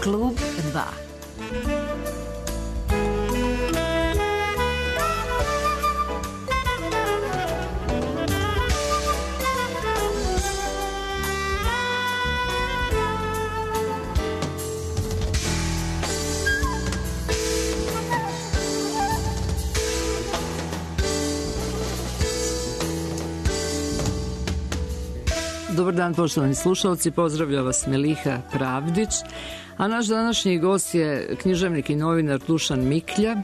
Klub 2. Dobar dan, poštovani slušalci, pozdravlja vas Meliha Pravdić, a naš današnji gost je književnik i novinar Dušan Miklja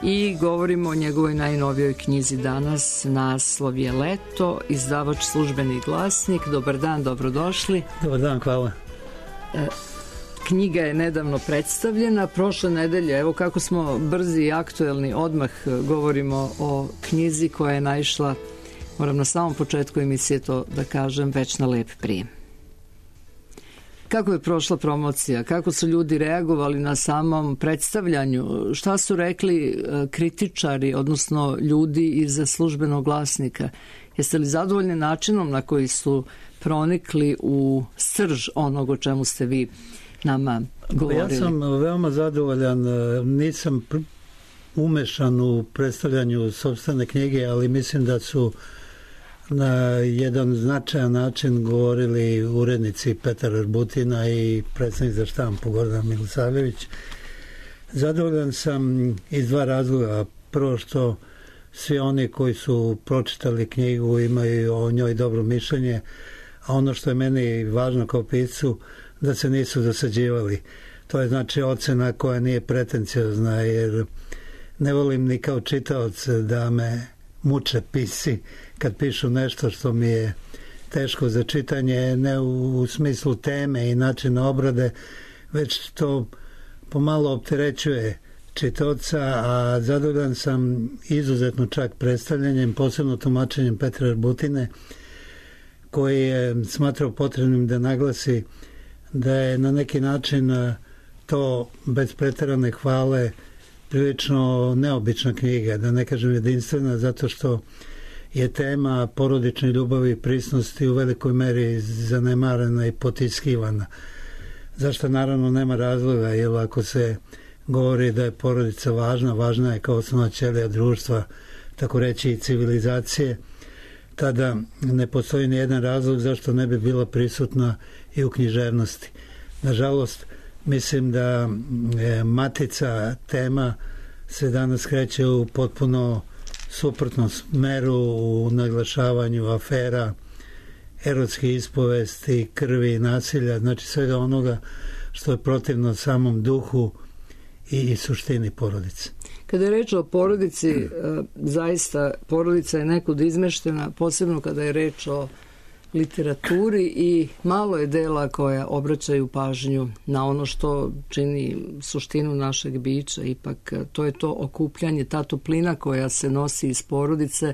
i govorimo o njegovoj najnovijoj knjizi danas, naslov je Leto, izdavač Službeni glasnik. Dobar dan, dobrodošli. Dobar dan, hvala. Knjiga je nedavno predstavljena, prošle nedelje, evo kako smo brzi i aktuelni, odmah govorimo o knjizi koja je naišla, moram na samom početku emisije to da kažem, već na lep prijem. Kako je prošla promocija? Kako su ljudi reagovali na samom predstavljanju? Šta su rekli kritičari, odnosno ljudi iz Službenog glasnika? Jeste li zadovoljni načinom na koji su pronikli u srž onog o čemu ste vi nama govorili? Ja sam veoma zadovoljan. Nisam umešan u predstavljanju sopstvene knjige, ali mislim da su na jedan značajan način govorili urednici Petar Arbutina i predstavnik za štampu Gordan Milosavljević. Zadovoljan sam iz dva razloga. Prvo što svi oni koji su pročitali knjigu imaju o njoj dobro mišljenje, a ono što je meni važno kao piscu, da se nisu dosađivali. To je znači ocena koja nije pretenciozna, jer ne volim ni kao čitaoc da me muče pisci kad pišu nešto što mi je teško za čitanje, ne u smislu teme i načina obrade, već to pomalo opterećuje čitaoca, a zadovoljan sam izuzetno čak predstavljanjem, posebno tumačenjem Petra Arbutine, koji je smatrao potrebnim da naglasi da je na neki način to bez preterane hvale prilično neobična knjiga, da ne kažem jedinstvena, zato što je tema porodične ljubavi i prisnosti u velikoj meri zanemarena i potiskivana. Zašto naravno nema razloga, jer ako se govori da je porodica važna, važna je kao osnovna ćelija društva, tako reći i civilizacije, tada ne postoji ni jedan razlog zašto ne bi bila prisutna i u književnosti. Nažalost, mislim da matica tema se danas kreće u potpuno suprotnom smeru, u naglašavanju afera, erotskih ispovesti, krvi i nasilja, znači svega onoga što je protivno samom duhu i suštini porodice. Kada je reč o porodici, zaista porodica je nekud izmeštena, posebno kada je reč o literaturi, i malo je dela koja obraćaju pažnju na ono što čini suštinu našeg bića. Ipak to je to okupljanje, ta toplina koja se nosi iz porodice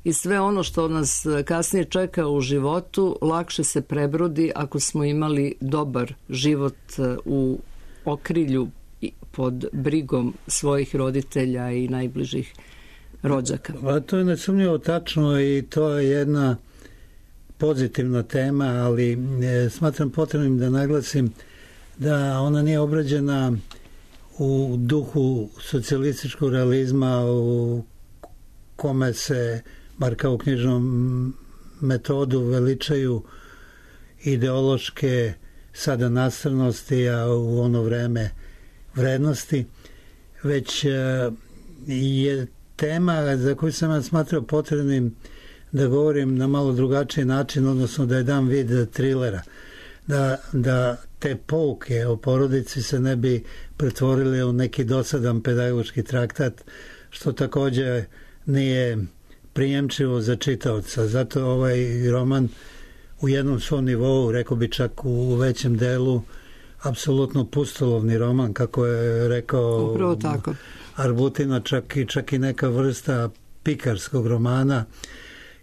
i sve ono što nas kasnije čeka u životu lakše se prebrodi ako smo imali dobar život u okrilju pod brigom svojih roditelja i najbližih rođaka. To je nesumnjivo tačno i to je jedna pozitivna tema, ali smatram potrebnim da naglasim da ona nije obrađena u duhu socijalističkog realizma u kome se, bar kao knjižnom metodu, veličaju ideološke sada nastrnosti, a u ono vreme vrednosti, već je tema za koju sam ja smatrao potrebnim da govorim na malo drugačiji način, odnosno da je dam vid trilera, da te pouke o porodici se ne bi pretvorile u neki dosadan pedagoški traktat, što također nije prijemčivo za čitaoca. Zato ovaj roman u jednom svom nivou, rekao bi čak u većem delu, apsolutno pustolovni roman, kako je rekao Arbutina, čak i neka vrsta pikarskog romana,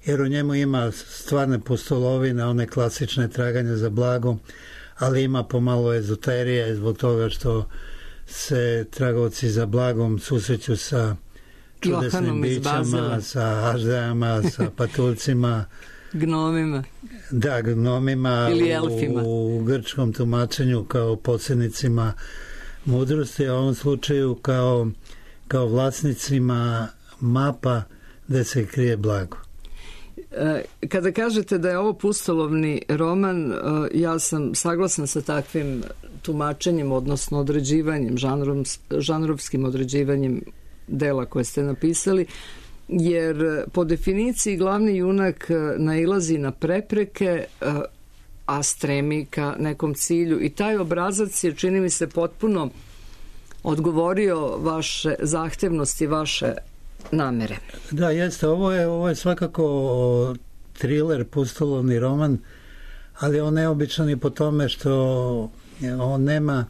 jer u njemu ima stvarne pustolovine, one klasične traganja za blagom, ali ima pomalo ezoterije zbog toga što se tragovci za blagom susreću sa čudesnim bićama, sa aždajama, sa patuljcima, Gnomima. Da, gnomima ili elfima. U grčkom tumačenju kao posjednicima mudrosti, a u ovom slučaju kao vlasnicima mapa gde se krije blago. Kada kažete da je ovo pustolovni roman, ja sam saglasna sa takvim tumačenjem, odnosno određivanjem, žanrovskim određivanjem dela koje ste napisali, jer po definiciji glavni junak nailazi na prepreke, a stremi ka nekom cilju, i taj obrazac je, čini mi se, potpuno odgovorio vaše zahtevnosti, vaše namere. Da, jeste. Ovo je svakako thriller, pustolovni roman, ali on neobičan i po tome što on nema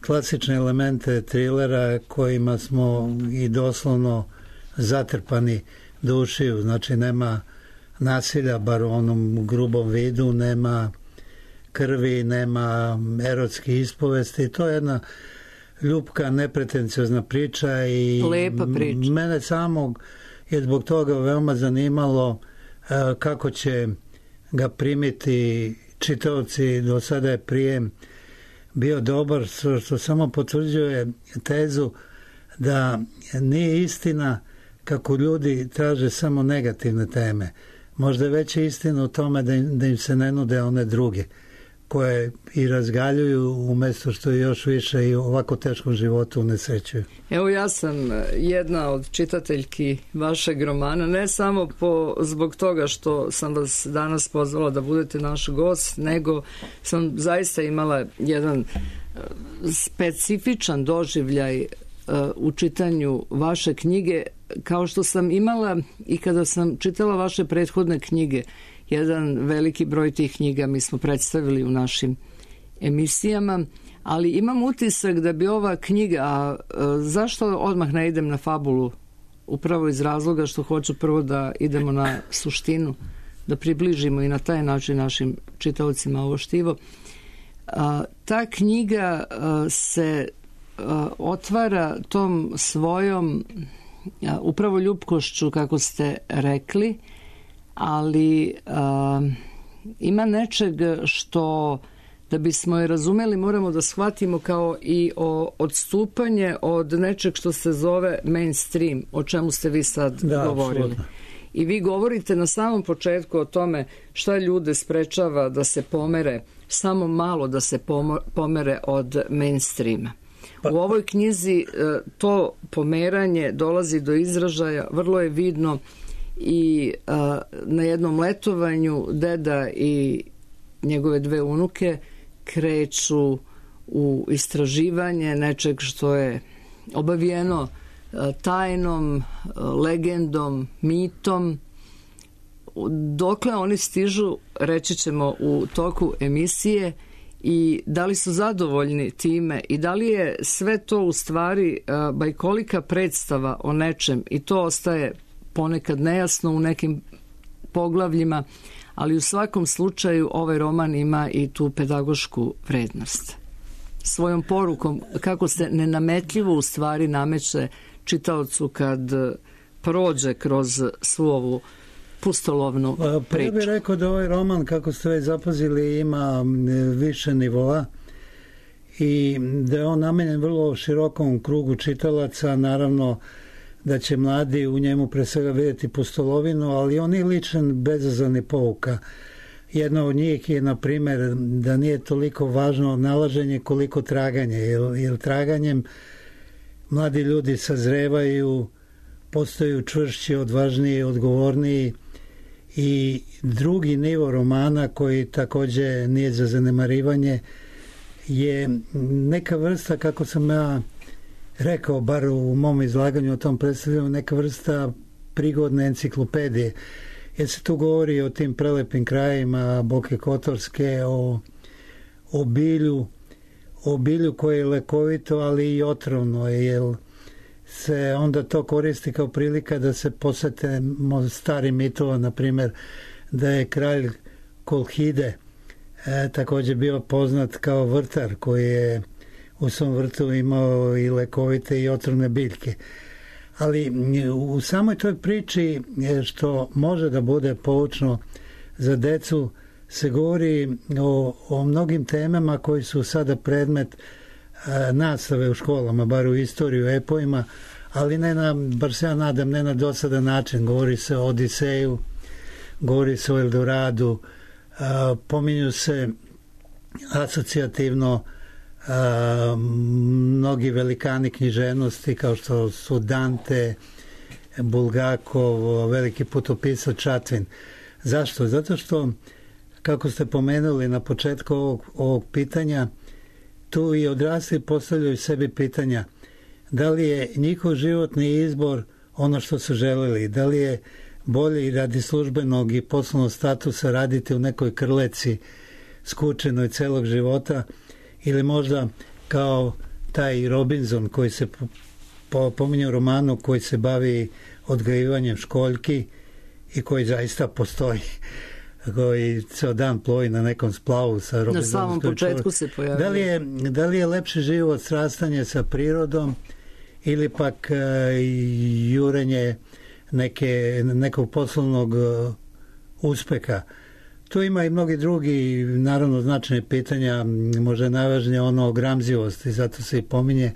klasične elemente thrillera kojima smo i doslovno zatrpani do ušiju. Znači nema nasilja, bar u onom grubom vidu, nema krvi, nema erotskih ispovesti. To je jedna ljubka, nepretenciozna priča i lepa priča. Mene samog je zbog toga veoma zanimalo kako će ga primiti čitaoci. Do sada je prijem bio dobar, što samo potvrđuje tezu da nije istina kako ljudi traže samo negativne teme. Možda je veća istina u tome da im se ne nude one druge koje i razgaljuju umjesto što još više i u ovako teškom životu unesrećuju. Evo, ja sam jedna od čitateljki vašeg romana, ne samo zbog toga što sam vas danas pozvala da budete naš gost, nego sam zaista imala jedan specifičan doživljaj u čitanju vaše knjige, kao što sam imala i kada sam čitala vaše prethodne knjige. Jedan veliki broj tih knjiga mi smo predstavili u našim emisijama, ali imam utisak da bi ova knjiga, a zašto odmah ne idem na fabulu? Upravo iz razloga što hoću prvo da idemo na suštinu, da približimo i na taj način našim čitaocima ovo štivo. Ta knjiga se otvara tom svojom upravo ljubkošću, kako ste rekli, ali ima nečeg što, da bismo je razumeli, moramo da shvatimo kao i odstupanje od nečeg što se zove mainstream, o čemu ste vi sad govorili. Absolutno. I vi govorite na samom početku o tome šta ljude sprečava da se pomere, samo malo da se pomere od mainstreama. U ovoj knjizi to pomeranje dolazi do izražaja, vrlo je vidno i na jednom letovanju deda i njegove dve unuke kreću u istraživanje nečeg što je obavijeno tajnom, legendom, mitom. Dokle oni stižu, reći ćemo u toku emisije, i da li su zadovoljni time i da li je sve to u stvari bajkolika predstava o nečem, i to ostaje ponekad nejasno u nekim poglavljima, ali u svakom slučaju ovaj roman ima i tu pedagošku vrednost. Svojom porukom, kako se nenametljivo u stvari nameće čitaocu kad prođe kroz svu ovu pustolovnu priču. Ja bih rekao da ovaj roman, kako ste već zapazili, ima više nivoa i da je on namenjen vrlo širokom krugu čitalaca. Naravno da će mladi u njemu pre svega vidjeti pustolovinu, ali on je ličan, bezazleni pouka. Jedna od njih je, na primjer, da nije toliko važno nalaženje koliko traganje, jer traganjem mladi ljudi sazrevaju, postaju čvršći, odvažniji, odgovorniji. I drugi nivo romana, koji također nije za zanemarivanje, je neka vrsta, kako sam ja rekao, bar u mom izlaganju o tom predstavljanju, neka vrsta prigodne enciklopedije. Jer se tu govori o tim prelepim krajima Boke Kotorske, o bilju koje je lekovito, ali i otrovno, jer se onda to koristi kao prilika da se posvetimo starim mitova, na primjer da je kralj Kolhide također bio poznat kao vrtar koji je u svom vrtu imao i lekovite i otrovne biljke. Ali u samoj toj priči, što može da bude poučno za decu se govori o mnogim temama koji su sada predmet nastave u školama, bar u istoriju, epoima, ali bar se ja nadam, ne na dosadan način. Govori se o Odiseju, govori se o Eldoradu, pominju se asocijativno mnogi velikani književnosti kao što su Dante, Bulgakov, veliki putopisac Čatvin. Zašto? Zato što, kako ste pomenuli na početku ovog pitanja, tu i odrasli postavljaju sebi pitanja da li je njihov životni izbor ono što su želeli, da li je bolje radi službenog i poslovnog statusa raditi u nekoj krleci skučenoj celog života, ili možda kao taj Robinson koji se pominje u romanu, koji se bavi odgajivanjem školjki i koji zaista postoji, koji ceo dan plovi na nekom splavu sa Robinsonom. Na samom početku se pojavio. Da li je lepši život srastanje sa prirodom ili pak jurenje nekog poslovnog uspeha? Tu ima i mnogi drugi, naravno, značajne pitanja, možda najvažnije ono o gramzivosti, zato se i pominje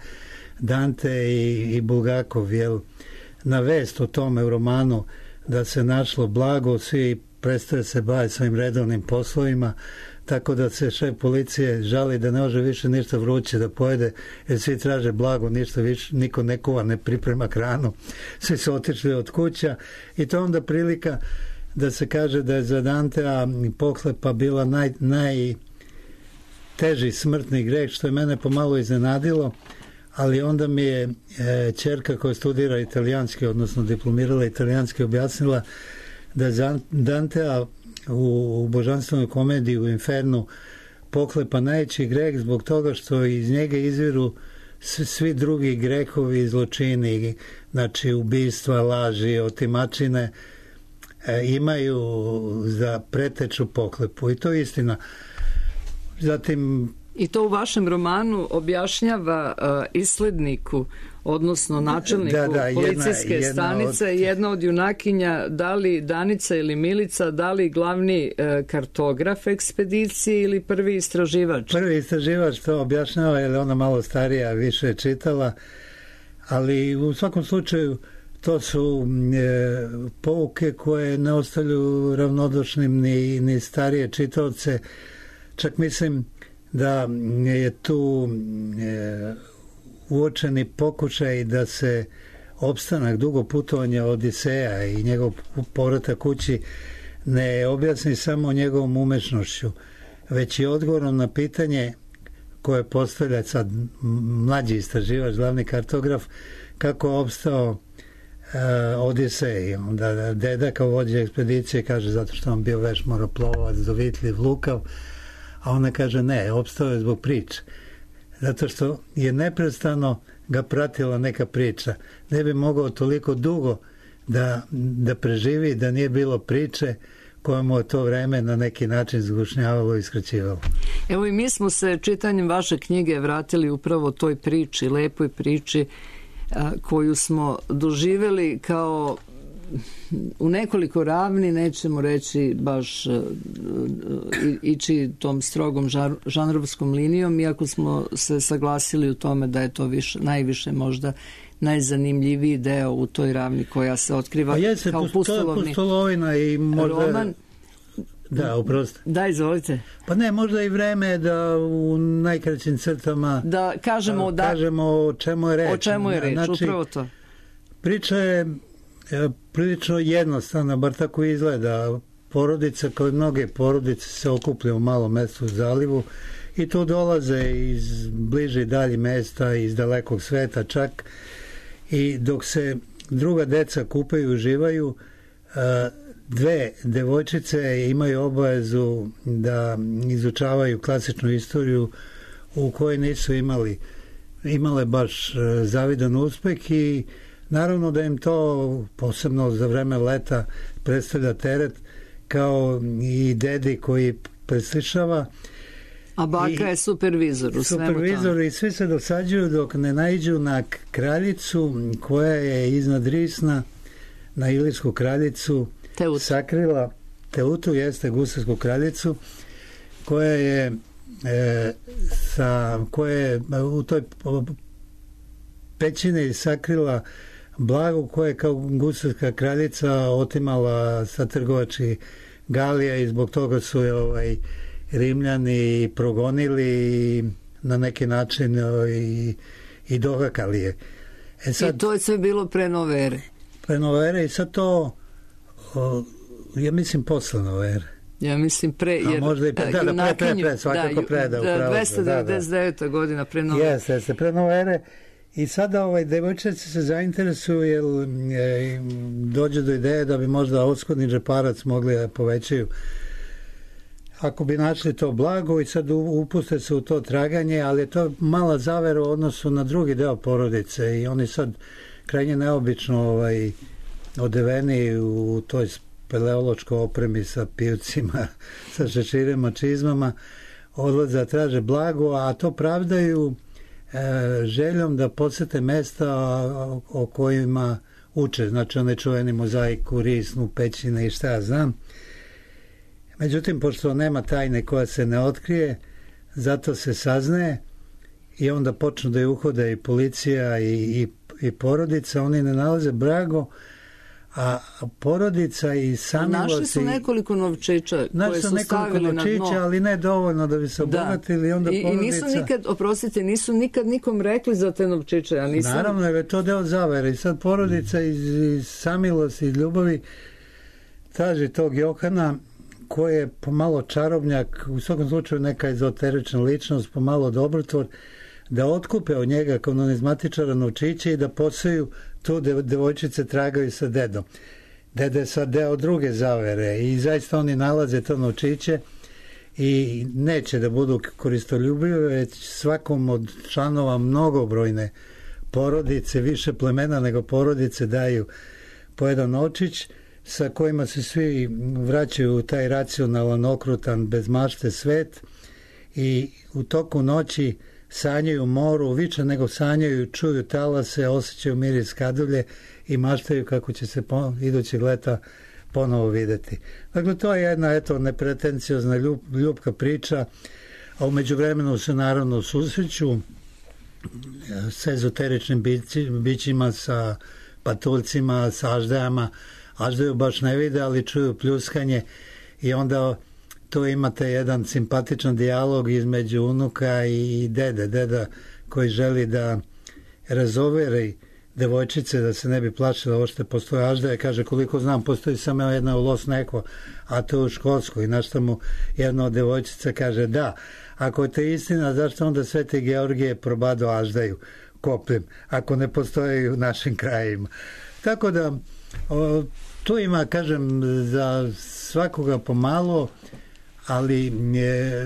Dante i Bulgakov, jer na vest o tome u romanu da se našlo blago, svi prestaje se baviti svojim redovnim poslovima, tako da se šef policije žali da ne može više ništa vruće da pojede, jer svi traže blago, ništa više, niko ne kuva, ne priprema hranu, svi su otišli od kuća i to onda prilika da se kaže da je za Dantea pohlepa bila najteži smrtni greh, što je mene pomalo iznenadilo, ali onda mi je ćerka koja studira italijanski, odnosno diplomirala italijanski, objasnila da je Dantea u božanstvenoj komediji u Infernu pohlepa najveći greh zbog toga što iz njega izviru svi drugi grehovi i zločini, znači ubistva, laži, otimačine, imaju za preteču pohlepu i to je istina. Zatim i to u vašem romanu objašnjava isledniku, odnosno načelniku policijske stanice, jedna od junakinja, da li Danica ili Milica, da li glavni kartograf ekspedicije ili prvi istraživač? Prvi istraživač to objašnjava, jer je ona malo starija, više je čitala, ali u svakom slučaju to su pouke koje ne ostavljaju ravnodušnim ni starije čitaoce. Čak mislim da je tu uočeni pokušaj da se opstanak, dugo putovanja Odiseja i njegov povratak kući ne objasni samo njegovom umešnošću, već i odgovorom na pitanje koje postavlja sad mlađi istraživač, glavni kartograf, kako je opstao Odisej. Onda deda kao vođa ekspedicije kaže zato što on bio veš moroplovac, dovitljiv, lukav, a ona kaže ne, opstao je zbog priče. Zato što je neprestano ga pratila neka priča. Ne bi mogao toliko dugo da preživi da nije bilo priče koja mu je to vreme na neki način zgušnjavalo i skraćivalo. Evo i mi smo se čitanjem vaše knjige vratili upravo toj priči, lepoj priči koju smo doživjeli kao u nekoliko ravni, nećemo reći baš ići tom strogom žanrovskom linijom, iako smo se saglasili u tome da je to najviše možda najzanimljiviji deo u toj ravni koja se otkriva kao pustolovina i možda roman. Da, uprosti. Da, izvolite. Pa ne, možda i vreme da u najkraćim crtama da kažemo o čemu je reč. O čemu je reč, znači, upravo to. Priča je prilično jednostavna, bar tako izgleda. Porodica, kao i mnoge porodice, se okuplja u malom mestu u zalivu i tu dolaze iz bliže i dalje mesta, iz dalekog sveta čak, i dok se druga deca kupaju i uživaju, dve devojčice imaju obavezu da izučavaju klasičnu istoriju u kojoj nisu imale baš zavidan uspeh i naravno da im to posebno za vreme leta predstavlja teret, kao i dedi koji preslišava. A baka je supervizor u svemu tome. Supervizor i svi se dosađuju dok ne naiđu na kraljicu koja je iznad Risna, na Ilirsku kraljicu, sakrila Teutu, jeste gusarsku kraljicu, koja je u toj pećini sakrila blago koje kao gusarska kraljica otimala sa trgovačkih galija i zbog toga su je Rimljani progonili i na neki način i dohakali je. I to je sve bilo pre nove ere. Pre nove ere i sad to ja mislim posle nove ere. Ja mislim pre, jer možda i pre, svakako pre, da, 299. godina pre nove ere. Jeste, pre nove ere. I sada devojčice se zainteresuju jer dođe do ideje da bi možda odskodni džeparac mogli da povećaju ako bi našli to blago i sad upuste se u to traganje, ali je to mala zavera u odnosu na drugi deo porodice i oni sad krajnje neobično odeveni u toj speleološkoj opremi sa pivcima, sa šeširima, čizmama, odlaze, traže blago, a to pravdaju željom da posete mesta o kojima uče, znači onaj čuveni mozaik u Risnu, Pećine i šta ja znam. Međutim, pošto nema tajne koja se ne otkrije, zato se saznaje i onda počnu da je uhode i policija i porodica, oni ne nalaze blago, a porodica i samilosti... Našli su nekoliko novčića koje su stavili na dno. Ali ne dovoljno da bi se obogatili. Onda I nisu nikad, oprostite, nisu nikad nikom rekli za te novčiće. Ja nisam... Naravno, je to deo zavere. I sad porodica iz samilosti i ljubavi traži tog Johana koji je pomalo čarobnjak, u svakom slučaju neka ezoterična ličnost, pomalo dobrotvor, da otkupe od njega kao numizmatičara novčiće i da posaju tu devojčice tragaju sa dedom. Dede je sad deo druge zavere i zaista oni nalaze to novčiće i neće da budu koristoljubive, već svakom od članova mnogobrojne porodice, više plemena nego porodice daju po jedan novčić sa kojima se svi vraćaju u taj racionalan, okrutan, bez mašte svet i u toku noći sanjaju moru, više nego sanjaju, čuju talase, osjećaju miris kadulje i maštaju kako će se idućeg leta ponovo videti. Dakle, to je jedna, nepretenciozna ljubka priča, a u međuvremenu se naravno susreću s ezoteričnim bićima, sa patuljcima, sa aždajama. Aždaju baš ne vide, ali čuju pljuskanje i onda tu imate jedan simpatičan dijalog između unuka i dede. Deda koji želi da razoveri devojčice da se ne bi plašila ovo što postoje aždaje. Kaže, koliko znam, postoji samo jedna u Los Neko, a to u Škotskoj. I na što mu jedna od devojčica kaže, da, ako je to istina, zašto onda Sveti Georgije probado aždaju kopljem, ako ne postoje u našim krajima. Tako da, tu ima, kažem, za svakoga pomalo, ali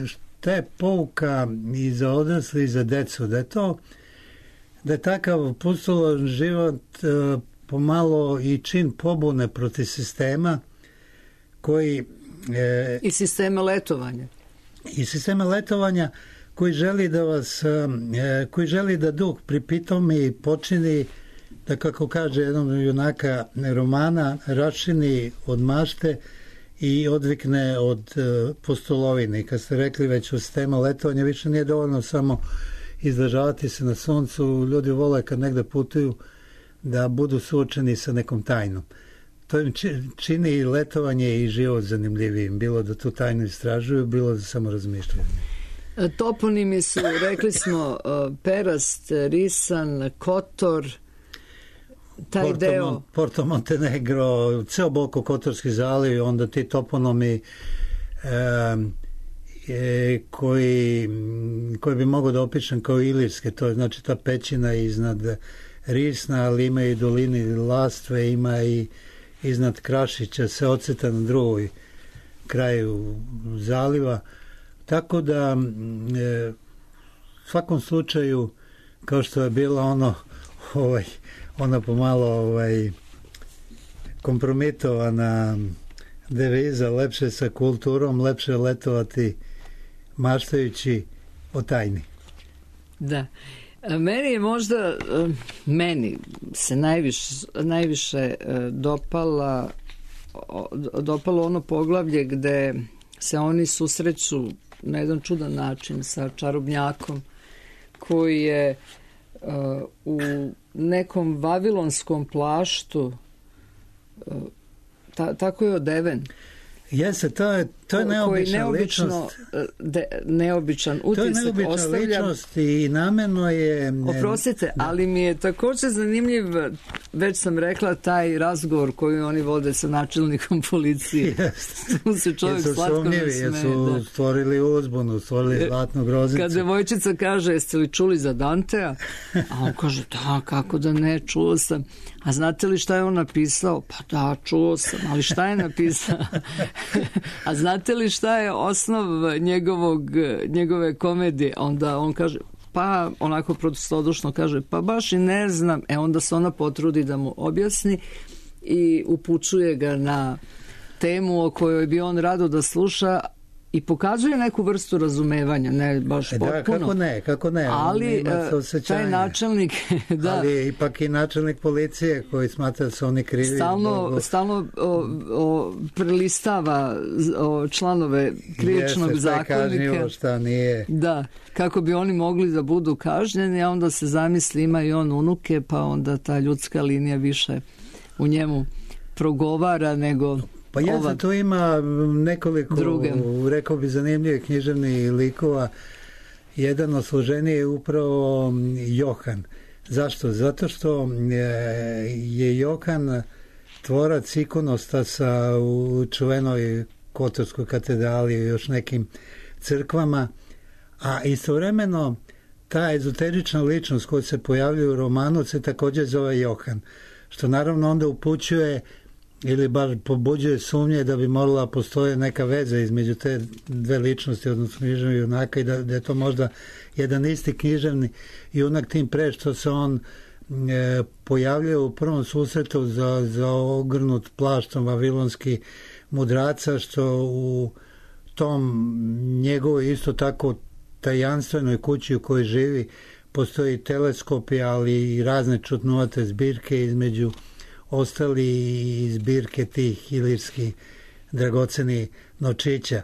šta je pouka i za odrasli i za decu, da je takav pustolan život pomalo i čin pobune protiv sistema koji... I sistema letovanja. I sistema letovanja koji želi da vas, koji želi da duh pripitomi i počini da, kako kaže jednom junaka romana, rašini od mašte i odvikne od pustolovine. Kad ste rekli već u sistema letovanja, više nije dovoljno samo izležavati se na suncu. Ljudi vole kad negde putuju da budu suočeni sa nekom tajnom. To im čini letovanje i život zanimljivijim. Bilo da tu tajnu istražuju, bilo da samo razmišljaju. Toponimi su, rekli smo, Perast, Risan, Kotor, taj deo... Porto Montenegro, ceo Boka Kotorski zaliv, onda ti toponomi koji bi mogao da opišem kao ilirske, to je znači ta pećina iznad Risna, ali ima i dolini Lastve, ima i iznad Krašića, se oceta na drugoj kraju zaliva. Tako da u svakom slučaju, kao što je bilo ona pomalo kompromitovana deviza, lepše sa kulturom, lepše letovati maštajući o tajni. Da. Meni se najviše dopala dopalo ono poglavlje gde se oni susreću na jedan čudan način sa čarobnjakom koji je u nekom vavilonskom plaštu tako je odeven. Jeste, to je neobična ličnost. Neobičan utisak. To je neobična ličnost i namjerno je... Oprostite, ali mi je također zanimljiv, već sam rekla, taj razgovor koji oni vode sa načelnikom policije. Tu se čovjek slatko nasmeje. Jesu stvorili uzbunu, stvorili zlatnu groznicu. Kad devojčica kaže, jeste li čuli za Dantea? A on kaže, da, kako da ne, čuo sam. A znate li šta je on napisao? Pa da, čuo sam, ali šta je napisao? A znate li šta je osnov njegove komedije? Onda on kaže, pa onako prostodušno kaže, pa baš i ne znam. Onda se ona potrudi da mu objasni i upućuje ga na temu o kojoj bi on rado da sluša i pokazuje neku vrstu razumevanja, ne baš potpuno. Da, kako ne. Ali taj načelnik... da, ali je ipak i načelnik policije koji smatra da su oni krivi. Stalno prelistava članove krivičnog zakonika. Šta nije. Da, kako bi oni mogli da budu kažnjeni, a onda se zamisli ima i on unuke, pa onda ta ljudska linija više u njemu progovara nego... Pa jeste, tu ima nekoliko, rekao bi, zanimljivih književnih likova. Jedan od složeniji je upravo Johan. Zašto? Zato što je Johan tvorac ikonostasa u čuvenoj Kotorskoj katedrali i još nekim crkvama, a istovremeno ta ezoterična ličnost koja se pojavljuje u romanu se također zove Johan, što naravno onda upućuje ili bar pobuđuje sumnje da bi morala postoje neka veza između te dve ličnosti, odnosno književnog junaka, i da je to možda jedan isti književni junak, tim pre što se on pojavljuje u prvom susretu za ogrnut plaštom vavilonski mudraca, što u tom njegovoj isto tako tajanstvenoj kući u kojoj živi postoji teleskopi, ali i razne čudnovate zbirke, između ostali i zbirke tih ilirskih dragoceni novčića.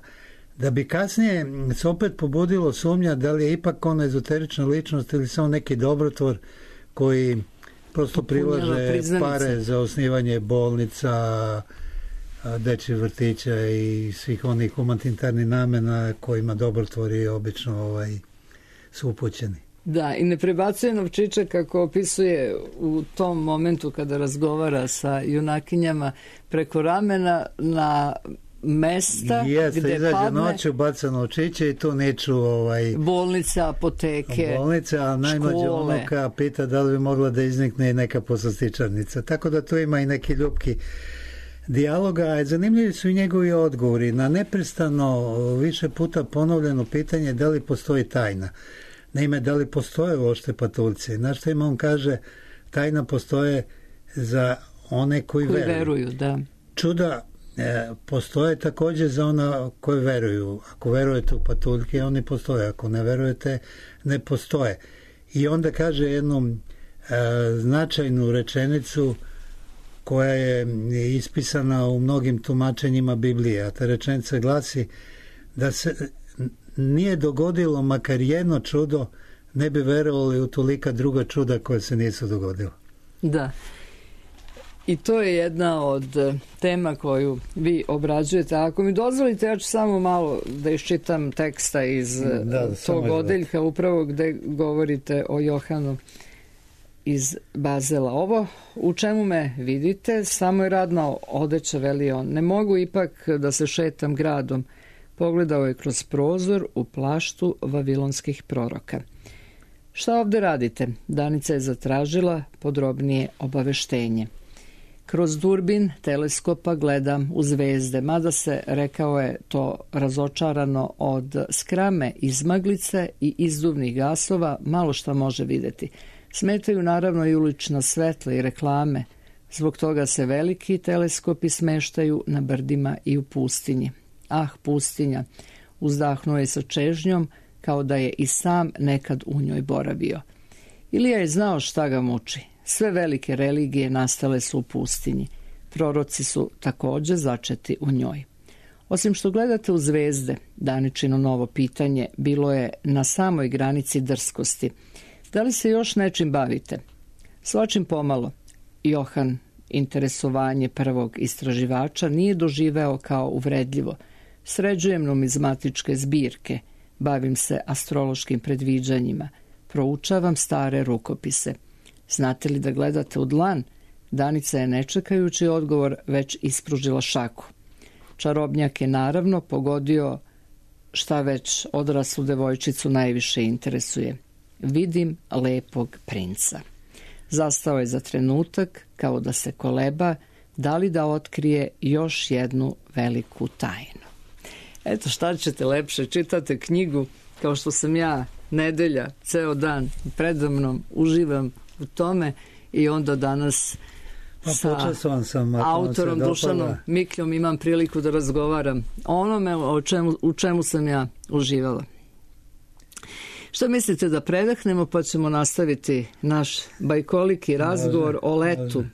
Da bi kasnije se opet pobudilo sumnja da li je ipak ona ezoterična ličnost ili samo neki dobrotvor koji prosto prilaže pare za osnivanje bolnica, dečjih vrtića i svih onih humanitarnih namena kojima dobrotvori obično su upućeni. Da, i ne prebacuje novčiće, kako opisuje u tom momentu kada razgovara sa junakinjama, preko ramena na mesta gde izađe padne noću, baca novčiće i tu niču bolnice, apoteke, a najmlađa unuka pita da li bi mogla da iznikne i neka poslastičarnica. Tako da tu ima i neki ljubki dijaloga. Zanimljivi su i njegovi odgovori na neprestano više puta ponovljeno pitanje da li postoji tajna. Naime, da li postoje uopšte patuljci? Na što im on kaže, tajna postoje za one koji veruju. Da. Čuda postoje također za ona koji veruju. Ako verujete u patuljke, oni postoje. Ako ne verujete, ne postoje. I onda kaže jednu značajnu rečenicu koja je ispisana u mnogim tumačenjima Biblije. A ta rečenica glasi da se nije dogodilo makar jedno čudo, ne bi verovali u tolika druga čuda koja se nisu dogodila. Da. I to je jedna od tema koju vi obrađujete. Ako mi dozvolite, ja ću samo malo da iščitam teksta iz tog odeljka, upravo gde govorite o Johanu iz Bazela. Ovo u čemu me vidite, samo je radna odeća, veli on. Ne mogu ipak da se šetam gradom. Pogledao je kroz prozor u plaštu vavilonskih proroka. Šta ovde radite? Danica je zatražila podrobnije obaveštenje. Kroz durbin teleskopa gledam u zvezde, mada se, rekao je to razočarano, od skrame izmaglice i izduvnih gasova malo šta može videti. Smetaju naravno i ulična svetla i reklame. Zbog toga se veliki teleskopi smeštaju na brdima i u pustinji. Ah, pustinja, uzdahnuo je sa čežnjom, kao da je i sam nekad u njoj boravio. Ilija je znao šta ga muči. Sve velike religije nastale su u pustinji. Proroci su takođe začeti u njoj. Osim što gledate u zvezde, Daničino novo pitanje bilo je na samoj granici drskosti. Da li se još nečim bavite? Svačim pomalo. Johan interesovanje prvog istraživača nije doživeo kao uvredljivo. Sređujem numizmatičke zbirke, bavim se astrološkim predviđanjima, proučavam stare rukopise. Znate li da gledate u dlan? Danica je nečekajući odgovor već ispružila šaku. Čarobnjak je naravno pogodio šta već odraslu devojčicu najviše interesuje. Vidim lepog princa. Zastao je za trenutak kao da se koleba da li da otkrije još jednu veliku tajnu. Eto, šta ćete lepše, čitate knjigu kao što sam ja, nedelja, ceo dan predamnom, uživam u tome i onda danas sa autorom Dušanom Mikljom imam priliku da razgovaram o onome u čemu sam ja uživala. Što mislite da predahnemo pa ćemo nastaviti naš bajkoliki razgovor o letu.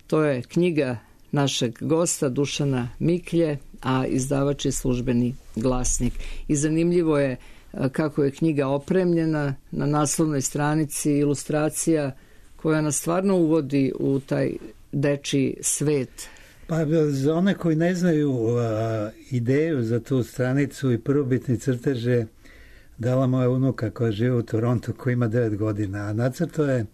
To je knjiga našeg gosta Dušana Miklje, a izdavač je Službeni glasnik. I zanimljivo je kako je knjiga opremljena, na naslovnoj stranici ilustracija koja nas stvarno uvodi u taj dečiji svet. Pa za one koji ne znaju ideju za tu stranicu i prvobitni crteže dala moja unuka koja žive u Torontu, koji ima 9 godina, a nacrto je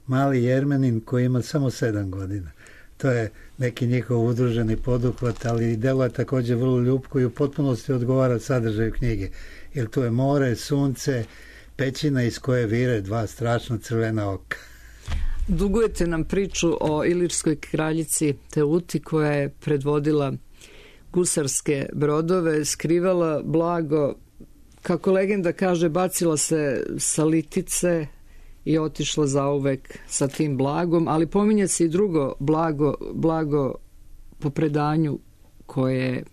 mali Jermenin koji ima samo 7 godina. To je neki njihov udruženi poduhvat, ali delo je takođe vrlo ljubko i u potpunosti odgovara sadržaju knjige. Jer tu je more, sunce, pećina iz koje vire 2 strašno crvena oka. Dugujete nam priču o ilirskoj kraljici Teuti koja je predvodila gusarske brodove, skrivala blago, kako legenda kaže, bacila se sa litice i otišla zauvek sa tim blagom, ali pominje se i drugo blago po predanju koje je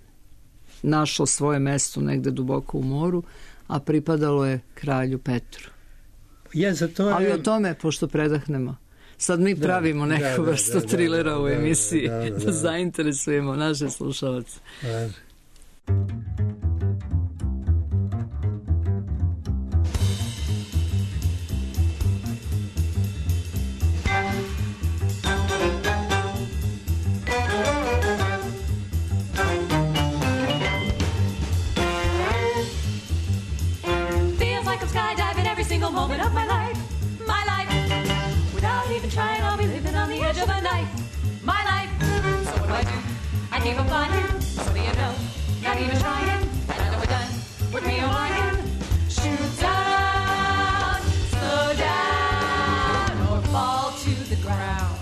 našlo svoje mesto negde duboko u moru, a pripadalo je kralju Petru. Ali o tome, pošto predahnemo, sad mi pravimo neku vrstu trilera u emisiji da zainteresujemo naše slušalce. Moment of my life, without even trying, I'll be living on the edge of a knife, my life. So what do? I keep on flying, so do you know, not even trying, and I know we're done with me on lying. Shoot down, slow down, or fall to the ground.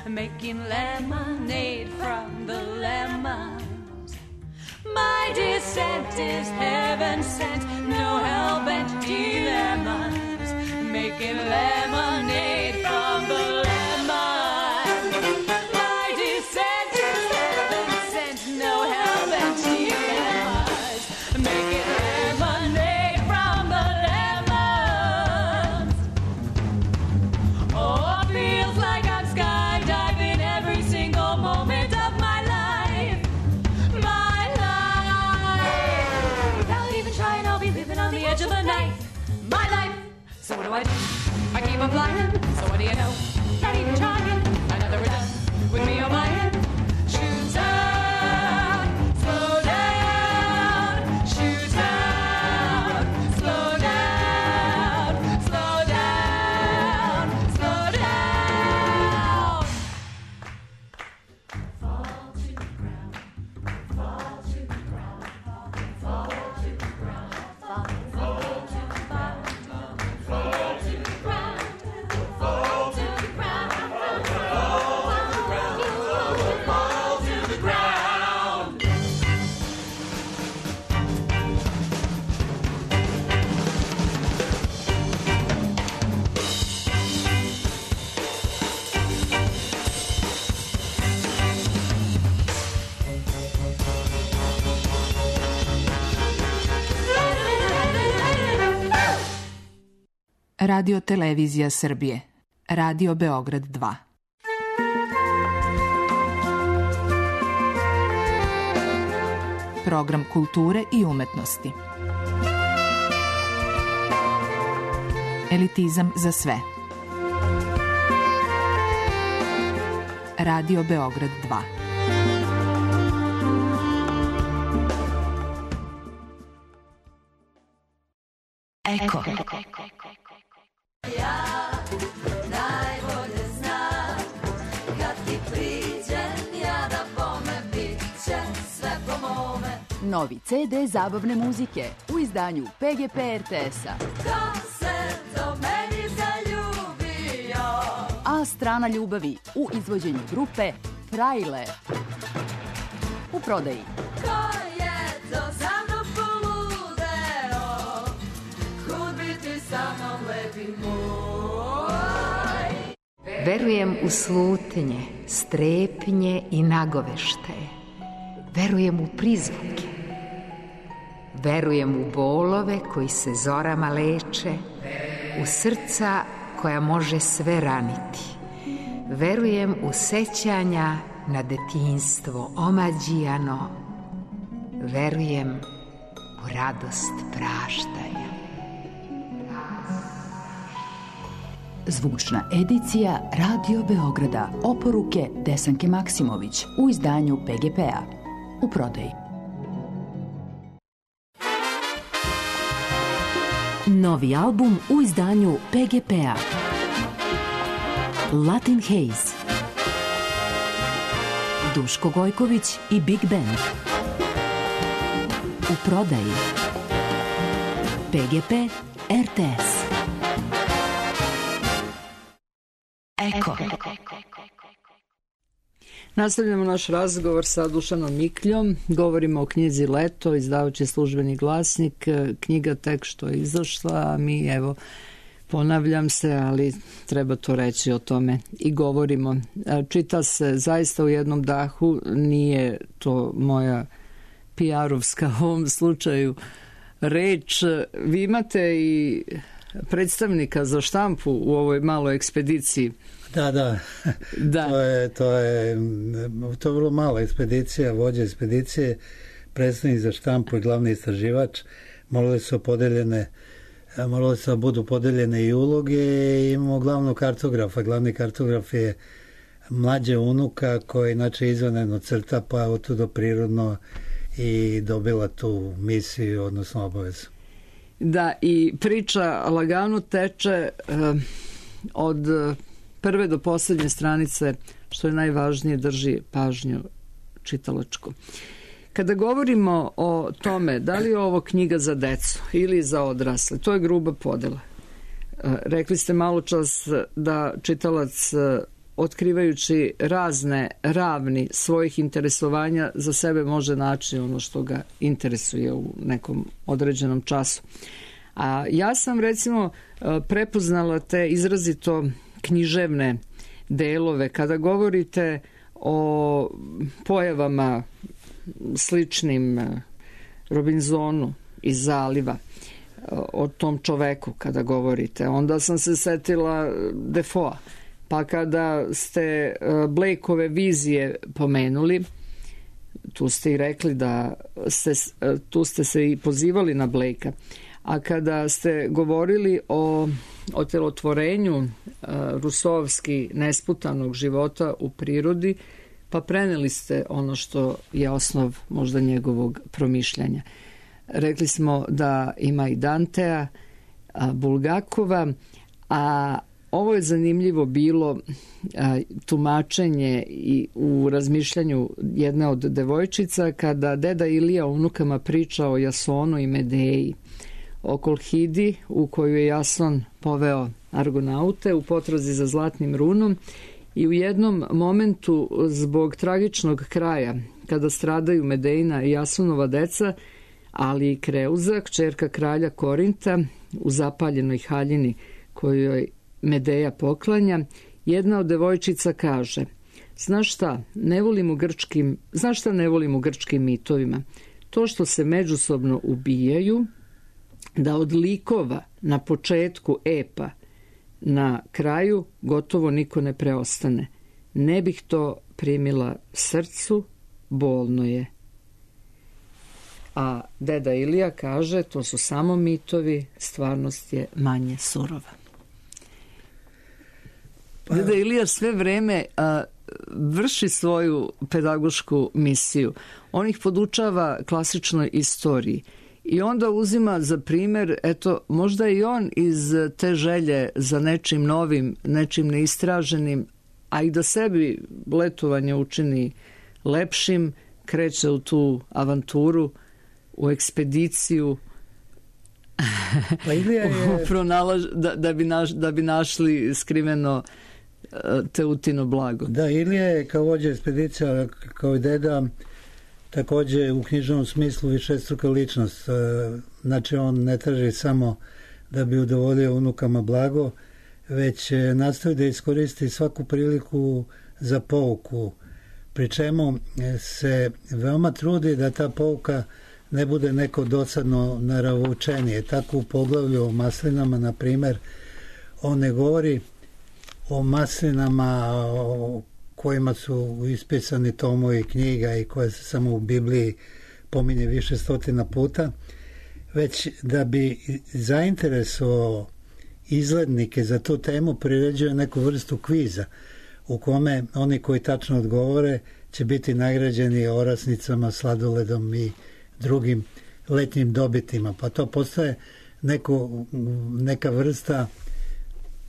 making lemonade from the lemons. My descent is heaven sent, no hell-bent dilemmas, making lemonade from the lemons. My descent is heaven sent, no hell-bent dilemmas, making lemonade from the lemons. Oh, it feels like I'm skydiving every single moment of my life. My life. Without even trying, I'll be living on the edge of the knife. My life. So what do? I keep on flying. So what do you know? Not even trying. Another we're done with me on my head. Shoot out, slow down. Shoot out, slow down. Slow down, slow down. Fall to the ground. Fall to the ground. Fall to the ground. Fall to the ground. Fall to the ground. Fall to the ground. Fall to the ground. Radio Televizija Srbije. Radio Beograd 2. Program kulture i umetnosti. Elitizam za sve. Radio Beograd 2. Eko. Najbolje znam kad ti priđem ja da bome bit će sve po mome. Novi CD zabavne muzike u izdanju PGP RTS-a. Ko se do meni zaljubio? A strana ljubavi u izvođenju grupe Frajle. U prodaji. Ko je to za mnom poludeo? Kud bi ti sa mnom lepi moj? Verujem u slutnje, strepnje i nagoveštaje. Verujem u prizvuke. Verujem u bolove koji se zorama leče, u srca koja može sve raniti. Verujem u sećanja na detinjstvo omađijano. Verujem u radost praštanja. Zvučna edicija Radio Beograda. Oporuke Desanke Maksimović u izdanju PGP-a. U prodaji. Novi album u izdanju PGP-a. Latin Haze. Duško Gojković i Big Band. U prodaji. PGP RTS. Eko. Nastavljamo naš razgovor sa Dušanom Mikljom. Govorimo o knjizi Leto, izdavajući Službeni glasnik. Knjiga tek što je izašla, a mi, evo, ponavljam se, ali treba to reći, o tome i govorimo. Čita se zaista u jednom dahu, nije to moja PR-ovska u ovom slučaju reč. Vi imate i predstavnika za štampu u ovoj maloj ekspediciji. Da. To je vrlo mala ekspedicija, vođa ekspedicije, predstavnik za štampu i glavni istraživač. Morali su da budu podeljene i uloge. Imamo glavnog kartografa. Glavni kartograf je mlađe unuka koja inače izvanredno crta, pa je otuda prirodno i dobila tu misiju, odnosno obavezu. Da, i priča lagano teče od prve do poslednje stranice, što je najvažnije, drži pažnju čitalačku. Kada govorimo o tome da li je ovo knjiga za decu ili za odrasle, to je gruba podela. Rekli ste malo čas da čitalac otkrivajući razne ravni svojih interesovanja za sebe može naći ono što ga interesuje u nekom određenom času. A ja sam recimo prepoznala te izrazito književne delove kada govorite o pojavama sličnim Robinsonu iz Zaliva, o tom čoveku kada govorite. Onda sam se setila Defoa. Pa kada ste Blakeove vizije pomenuli, tu ste i rekli da tu ste se i pozivali na Blakea. A kada ste govorili o otelotvorenju rusovski nesputanog života u prirodi, pa preneli ste ono što je osnov možda njegovog promišljanja. Rekli smo da ima i Dantea, Bulgakova, a ovo je zanimljivo bilo tumačenje i u razmišljanju jedne od devojčica kada deda Ilija unukama priča o Jasonu i Medeji, o Kolhidi u koju je Jason poveo Argonaute u potrazi za zlatnim runom i u jednom momentu zbog tragičnog kraja kada stradaju Medejina i Jasonova deca, ali i Kreuza, kćerka kralja Korinta, u zapaljenoj haljini kojoj Medeja poklanja, jedna od devojčica kaže: znaš šta ne volim u grčkim mitovima? To što se međusobno ubijaju, da od likova na početku epa na kraju gotovo niko ne preostane. Ne bih to primila srcu, bolno je. A deda Ilija kaže: to su samo mitovi, stvarnost je manje surova. Deda Ilija sve vreme vrši svoju pedagošku misiju. On ih podučava klasičnoj istoriji i onda uzima za primjer, eto, možda i on iz te želje za nečim novim, nečim neistraženim, a i da sebi letovanje učini lepšim, kreće u tu avanturu, u ekspediciju, pa Ilija je... da bi našli skriveno Teutino blago. Da, Ilija je kao vođa ekspedicija, kao i deda, također u knjižnom smislu višestruka ličnost. Znači on ne traži samo da bi udovoljio unukama blago, već nastoji da iskoristi svaku priliku za pouku, pri čemu se veoma trudi da ta pouka ne bude neko dosadno naravučenije. Tako u poglavlju o maslinama, na primjer, on ne govori o maslinama o kojima su ispisani tomovi knjiga i koje se samo u Bibliji pominje više stotina puta, već da bi zainteresovao izglednike za tu temu priređuje neku vrstu kviza u kome oni koji tačno odgovore će biti nagrađeni orasnicama, sladoledom i drugim letnjim dobitima. Pa to postaje neka vrsta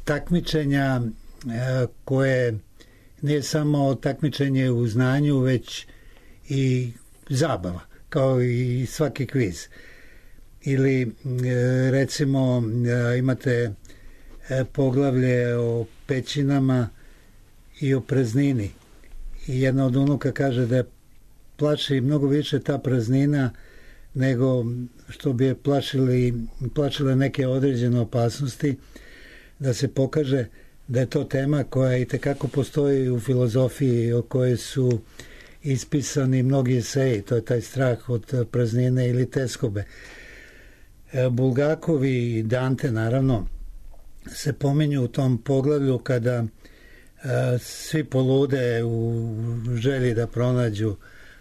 takmičenja koje nije samo takmičenje u znanju, već i zabava, kao i svaki kviz. Ili recimo imate poglavlje o pećinama i o praznini. I jedna od unuka kaže da je plaši mnogo više ta praznina nego što bi je plašile neke određene opasnosti, da se pokaže da je to tema koja itekako postoji u filozofiji, o kojoj su ispisani mnogi eseji. To je taj strah od praznine ili teskobe. Bulgakovi i Dante naravno se pominju u tom poglavlju kada svi polude u želji da pronađu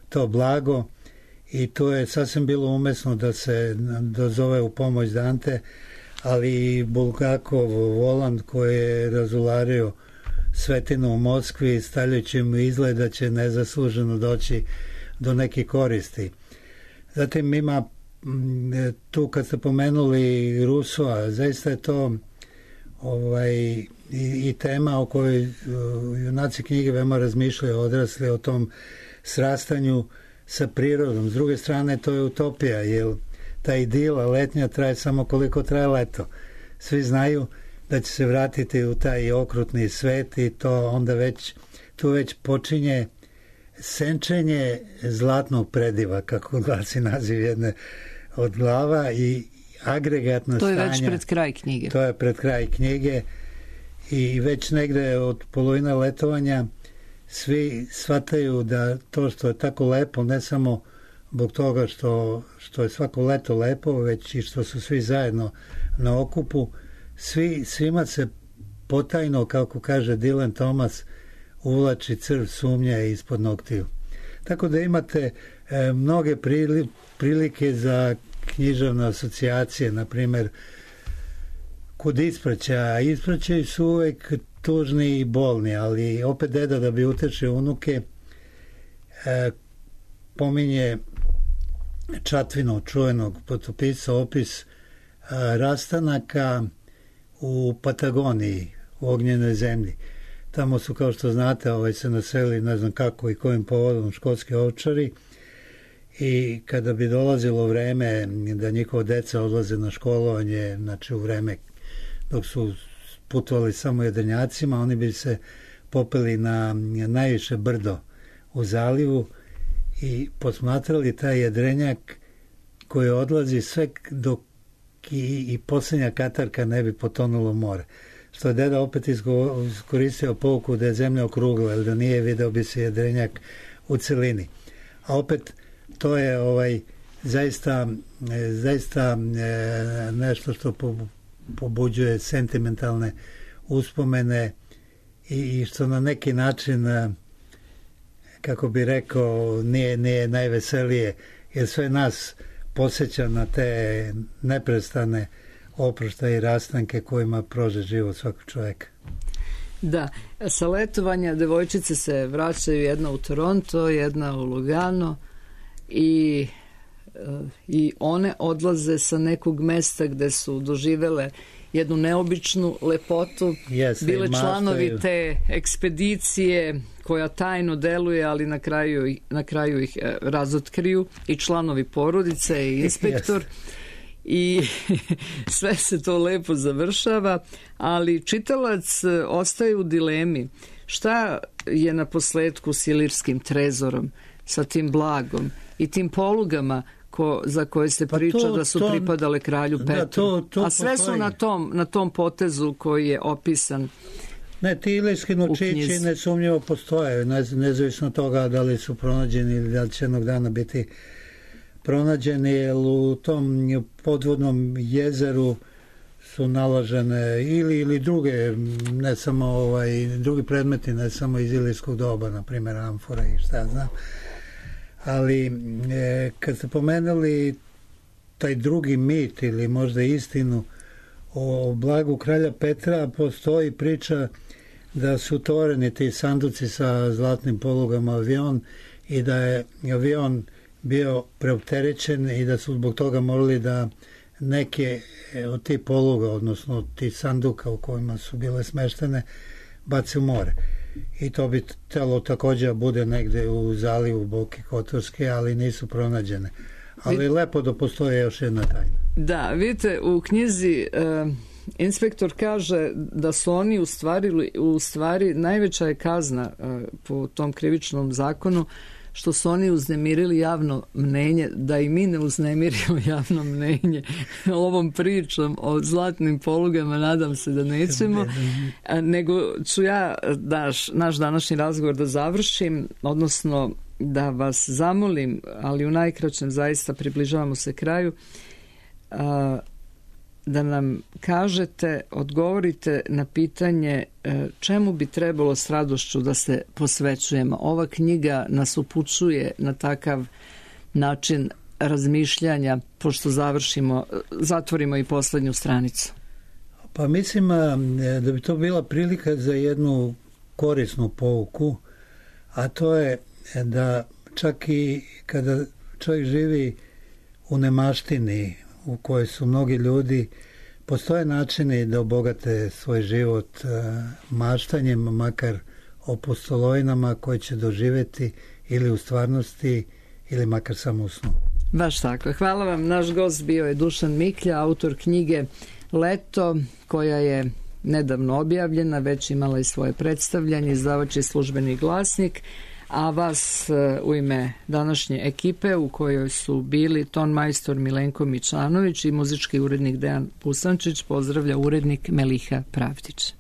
to blago, i to je sasvim bilo umesno da se dozove u pomoć Dante, ali i Bulgakov volan koji je razulario svetinu u Moskvi stavljajući mu izgled da će nezasluženo doći do neke koristi. Zatim ima tu, kad ste pomenuli Rusova, zaista je to i tema o kojoj junaci knjige veoma razmišljaju, odrasli, o tom srastanju sa prirodom. S druge strane, to je utopija, jer ta idila letnja traje samo koliko traje leto. Svi znaju da će se vratiti u taj okrutni svet i to onda tu već počinje senčenje zlatnog prediva, kako glasi naziv jedne od glava, i agregatno stanje. To je već pred kraj knjige. To je pred kraj knjige i već negde od polovina letovanja svi shvataju da to što je tako lepo, ne samo zbog toga što je svako leto lepo, već i što su svi zajedno na okupu, svima se potajno, kako kaže Dylan Thomas, uvlači crv sumnje ispod noktiju. Tako da imate mnoge prilike za književne asocijacije, na primjer kod ispraćaja. Ispraćaji su uvek tužni i bolni, ali opet deda, da bi utešio unuke, pominje Čatvinog čuvenog potopisa opis rastanaka u Patagoniji, u ognjenoj zemlji. Tamo su, kao što znate, se naselili, ne znam kako i kojim povodom, škotski ovčari, i kada bi dolazilo vreme da njihova deca odlaze na školovanje, znači u vreme dok su putovali samo jedrenjacima, oni bi se popeli na najviše brdo u zalivu i posmatrali taj jedrenjak koji odlazi sve dok i posljednja katarka ne bi potonula u more. Što je deda opet iskoristio pouku da je zemlja okrugla, jer da nije, video bi se jedrenjak u celini. A opet to je zaista nešto što pobuđuje sentimentalne uspomene i što na neki način, kako bi rekao, nije najveselije, jer sve nas podsjeća na te neprestane oproštaje i rastanke kojima prože život svakog čovjeka. Da, sa letovanja devojčice se vraćaju, jedna u Toronto, jedna u Lugano, i one odlaze sa nekog mesta gde su doživele jednu neobičnu lepotu. Bile članovi te ekspedicije koja tajno deluje, ali na kraju ih razotkriju, i članovi porodice i inspektor. I sve se to lepo završava, ali čitalac ostaje u dilemi. Šta je na posledku s ilirskim trezorom, sa tim blagom i tim polugama za koje se priča da su pripadale kralju Petru? A sve su na tom potezu koji je opisan. Ne, ti ilirski novčići nesumnjivo postoje, nezavisno toga da li su pronađeni ili da će jednog dana biti pronađeni, jer u tom podvodnom jezeru su nalažene ili druge, ne samo drugi predmeti, ne samo iz ilirskog doba, na primjer amfora i šta ja znam. Ali kad ste pomenuli taj drugi mit ili možda istinu o blagu kralja Petra, postoji priča da su tovareni ti sanduci sa zlatnim polugama avion i da je avion bio preopterećen i da su zbog toga morali da neke od tih poluga, odnosno tih sanduka u kojima su bile smeštene, bace u more. I to bi telo također bude negde u zalivu Boke Kotorske, ali nisu pronađene. Ali lepo da postoje još jedna tajna. Da, vidite, u knjizi inspektor kaže da su oni u stvari najveća je kazna po tom krivičnom zakonu što su oni uznemirili javno mnenje, da i mi ne uznemirimo javno mnenje ovom pričom o zlatnim polugama, nadam se da nećemo, nego ću ja naš današnji razgovor da završim, odnosno da vas zamolim, ali u najkraćem, zaista približavamo se kraju, da nam kažete, odgovorite na pitanje čemu bi trebalo s radošću da se posvećujemo. Ova knjiga nas upućuje na takav način razmišljanja, pošto zatvorimo i poslednju stranicu. Pa mislim da bi to bila prilika za jednu korisnu pouku, a to je da čak i kada čovjek živi u nemaštini u kojoj su mnogi ljudi, postoje načini da obogate svoj život maštanjem, makar o pustolovinama koje će doživjeti ili u stvarnosti ili makar samo u snu. Baš tako. Hvala vam. Naš gost bio je Dušan Miklja, autor knjige Leto, koja je nedavno objavljena, već imala i svoje predstavljanje, izdavač je Službeni glasnik, a vas u ime današnje ekipe u kojoj su bili ton majstor Milenko Mičanović i muzički urednik Dejan Pusančić pozdravlja urednik Meliha Pravdić.